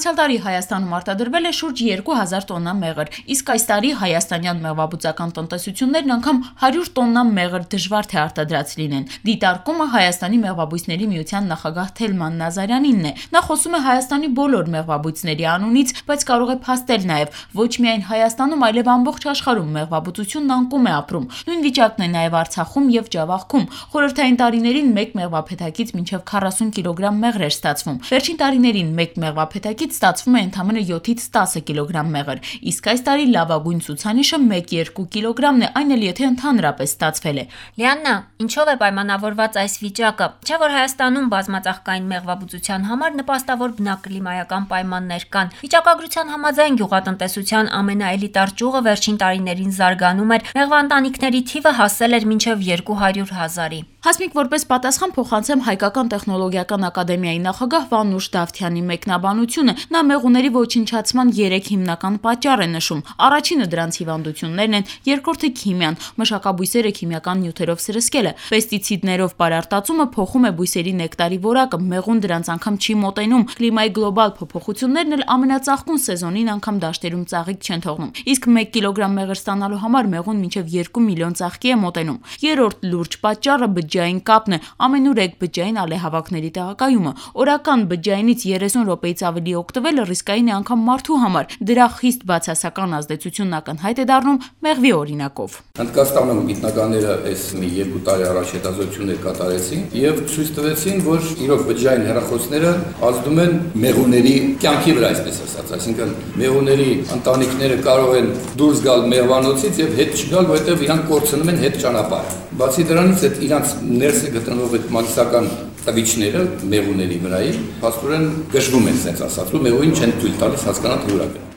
Անցյալ տարի Հայաստանում արտադրվել է շուրջ 2000 տոննա մեղր, իսկ այս տարի հայաստանյան մեղվաբուծական տնտեսություններն անգամ 100 տոննա մեղր դժվար թե արտադրած լինեն։ Դիտարկումը Հայաստանի մեղվաբույսների միության նախագահ Թելման Նազարյանինն է։ Նա խոսում է Հայաստանի բոլոր մեղվաբույսների անունից, բայց կարող է փաստել նաև ոչ միայն Հայաստանում, այլև ամբողջ աշխարհում մեղվաբուծությունն անկում է ապրում։ Նույն վիճակն է նաև Արցախում եւ Ջավախքում։ Խորհրդային տարիներին մեկ մեղվափեթակից մինչև 40 կիլոգրամ մեղր էր ստացվում։ Վերջին տարիներին մեկ մեղվափեթակից ստացվում է ընդամենը 7-ից 10 կիլոգրամ մեղր, իսկ այս տարի լավագույն ցուցանիշը 1-2 կիլոգրամն է, այն էլ եթե ընդհանրապես ստացվել է։ Լիաննա, ինչով է պայմանավորված այս վիճակը։ Չէ՞ որ Հայաստանում բազմածաղկային մեղվաբուծության համար նպաստավոր բնակլիմայական պայմաններ կան։ Վիճակագրության համաձայն գյուղատնտեսության ամենաէլիտար ճյուղը վերջին տարիներին զարգանում էր, մեղվաընտանիքների թիվը հասել էր մինչև 200,000-ի։ Հասմիկ, որպես պատասխան փոխանցեմ Հայկական տեխնոլոգիական ակադեմիայի նախագահ Վանուշ Դավթյանի մեկնաբանությունը, նա մեղուների ոչնչացման 3 հիմնական պատճառ է նշում։ Առաջինը դրանց հիվանդություններն են, երկրորդը քիմիան, մշակաբույսերը քիմիական նյութերով սրսկելը, պեստիցիդներով պարարտացումը փոխում է բույսերի նեկտարի որակը, մեղուն դրանց անգամ չի մոտենում, կլիմայի գլոբալ փոփոխություններն էլ ամենածաղկուն սեզոնին անգամ դաշտերում ծաղիկ չեն թողնում, իսկ 1 կիլոգրամ մեղր ստանալու համար մեղուն մինչև 2 միլիոն ծաղկի է մոտենում։ Երրորդ լուրջ պատճառը բջջային կապն է, ամենուրեք բջջային ալեհավաքների տեղակայումը։ Օրական բջջայինից 30 րոպեից ավելի օգտվելը ռիսկային է անգամ մարդու համար։ Դրա խիստ բացասական ազդեցությունն ակնհայտ է դառնում մեղվի օրինակով։ Հնդկաստանում գիտնականները այս մի 2 տարի առաջ հետազոտություններ կատարեցին եւ ցույց տվեցին, որ իրոք բջջային հեռախոսները ազդում են մեղուների կյանքի վրա, այսպես ասած, այսինքն մեղուների ընտանիքները կարող են դուրս գալ մեղվանոցից եւ հետ չգալ, որովհետեւ իրանք կորցնում են հետ ճանապարհը։ Բացի դրանից այդ իրանք ներսը գտնվող այդ մագիսական տվիչները մեղուների վրայի փաստորեն գժվում են, ասած ասածու մեղուին չեն թույլ տալիս հասկանալ թե ուր է գնում։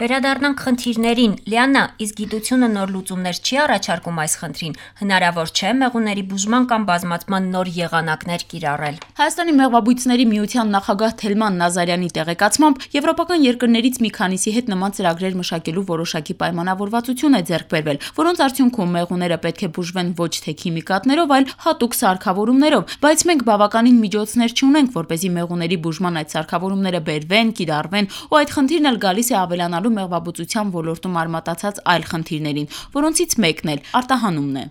Վերադառնանք խնդիրներին։ Լիաննա, իսկ գիտությունը նոր լուծումներ չի առաջարկում այս խնդրին։ Հնարավոր չէ մեղուների բուժման կամ բազմացման նոր եղանակներ կիրառել։ Հայաստանի մեղվաբույսների միության նախագահ Թելման Նազարյանի տեղեկացմամբ եվրոպական երկրներից մի քանիսի հետ նման ծրագրեր մշակելու որոշակի պայմանավորվածություն է ձեռք բերվել, որոնց արդյունքում մեղուները պետք է բուժվեն ոչ թե քիմիկատներով, այլ հատուկ սարքավորումներով, բայց մենք բավականին միջոցներ չունենք, որպեսզի մեղուների բուժման այդ սարքավորումները բերվեն, կիրառվեն, ու այդ խնդիրն էլ գալիս է ավելանալու մեղվաբուծության ոլորտում արմատացած այլ խնդիրներին, որոնցից մեկն էլ արտահանումն է։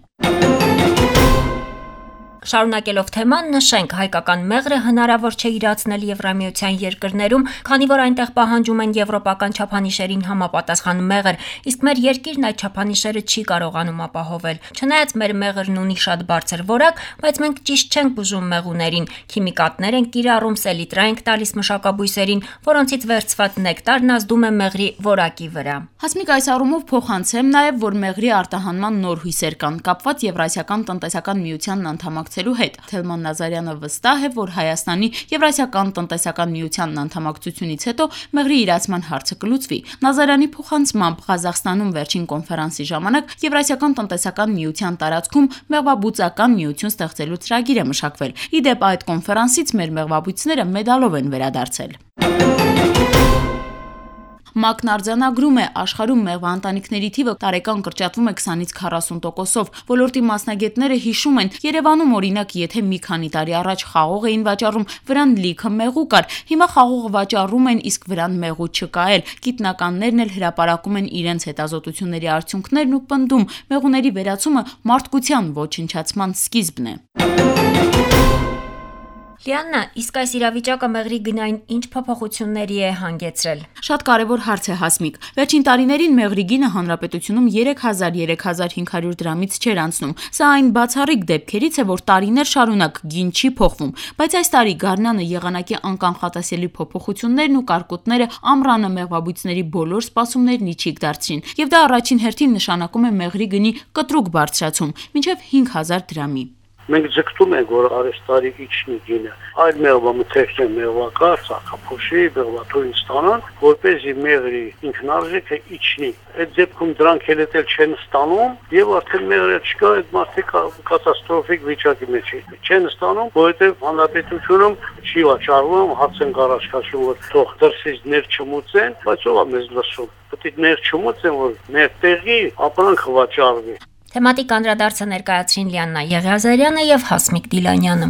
Շարունակելով թեման, նշենք, հայկական մեղրը հնարավոր չէ իրացնել Եվրամիության երկրներում, քանի որ այնտեղ պահանջում են եվրոպական չափանիշերին համապատասխան մեղր, իսկ մեր երկիրն այդ չափանիշերը չի կարողանում ապահովել։ Չնայած մեր մեղրն ունի շատ բարձր որակ, բայց մենք ճիշտ չենք բուժում մեղուներին, քիմիկատներ ենք կիրառում, սելիտրա ենք տալիս մշակաբույսերին, որոնցից վերցված նեկտարն ազդում է մեղրի որակի վրա։ Հասմիկ, այս առումով փոխանցեմ նաև, որ մեղրի արտահանման նոր հույսեր կան, կապված Եվրասիական տնտեսական միությանն անդամակցելու հետ։ Թելման Նազարյանը վստահ է, որ Հայաստանի Եվրասիական տնտեսական միությանն անդամակցությունից հետո մեղրի իրացման հարցը կլուծվի։ Նազարյանի փոխանցմամբ Ղազախստանում վերջին կոնֆերանսի ժամանակ Եվրասիական տնտեսական միության տարածքում մեղվաբուծական միություն ստեղծելու ծրագիր է մշակվել։ Ի դեպ, այդ կոնֆերանսից մեր մեղվաբույսները մեդալով են վերադարձել։ ՄԱԿ-ն արձանագրում է, աշխարհում մեղվաընտանիքների թիվը տարեկան կրճատվում է 20-ից 40%-ով։ Ոլորտի մասնագետները հիշում են, Երևանում օրինակ, եթե մի քանի տարի առաջ խաղող էին վաճառում, վրան լիքը մեղու կար, հիմա խաղողը վաճառում են, իսկ վրան մեղու չկա էլ։ Գիտնականներն էլ հրապարակում են իրենց հետազոտությունների արդյունքներն ու պնդում, մեղուների վերացումը մարդկության ոչնչացման սկիզբն է։ Լիաննա, իսկ այս իրավիճակը մեղրի գնային ինչ փոփոխությունների է հանգեցրել։ Շատ կարևոր հարց է, Հասմիկ։ Վերջին տարիներին մեղրի գինը հանրապետությունում 3000-3500 դրամից չէր անցնում։ Սա այն բացառիկ դեպքերից է, որ տարիներ շարունակ գին չի փոխվում, բայց այս տարի գարնանը եղանակի անկանխատեսելի փոփոխություններն ու կարկուտները ամռանը մեղվաբույսների բոլոր սպասումներն իջիկ դարձրին, եւ դա առաջին հերթին նշանակում է մեղրի գնի կտրուկ բարձրացում, մինչև 5000 դրամի։ Մենք ձգտում ենք, որ արեստարի իջնի գինը, այլ մեղվամթերքն մեղվակար, ծաղկափոշի, մեղվաթույն ստանան, որպեսզի մեղրի ինքնարժեքը իջնի։ Այդ դեպքում դրանք էլ չեն ստանում, եւ արդեն մեղրը չկա, այդ մարդիկ կատաստրոֆիկ վիճակի մեջ չեն ստանում, որովհետեւ հանրապետությունում չի վաճառվում, հարց են առաջ քաշում, որ թող դրսից ներ չմուծեն, բայց ով է մեզ լսում։ Պետք է ներ չմուծեն, որ մեր տեղի ապրանքը վաճառվի։ Թեմատիկ անդրադարձը ներկայացրին Լիաննա Եղիազարյանը եւ Հասմիկ Դիլանյանը։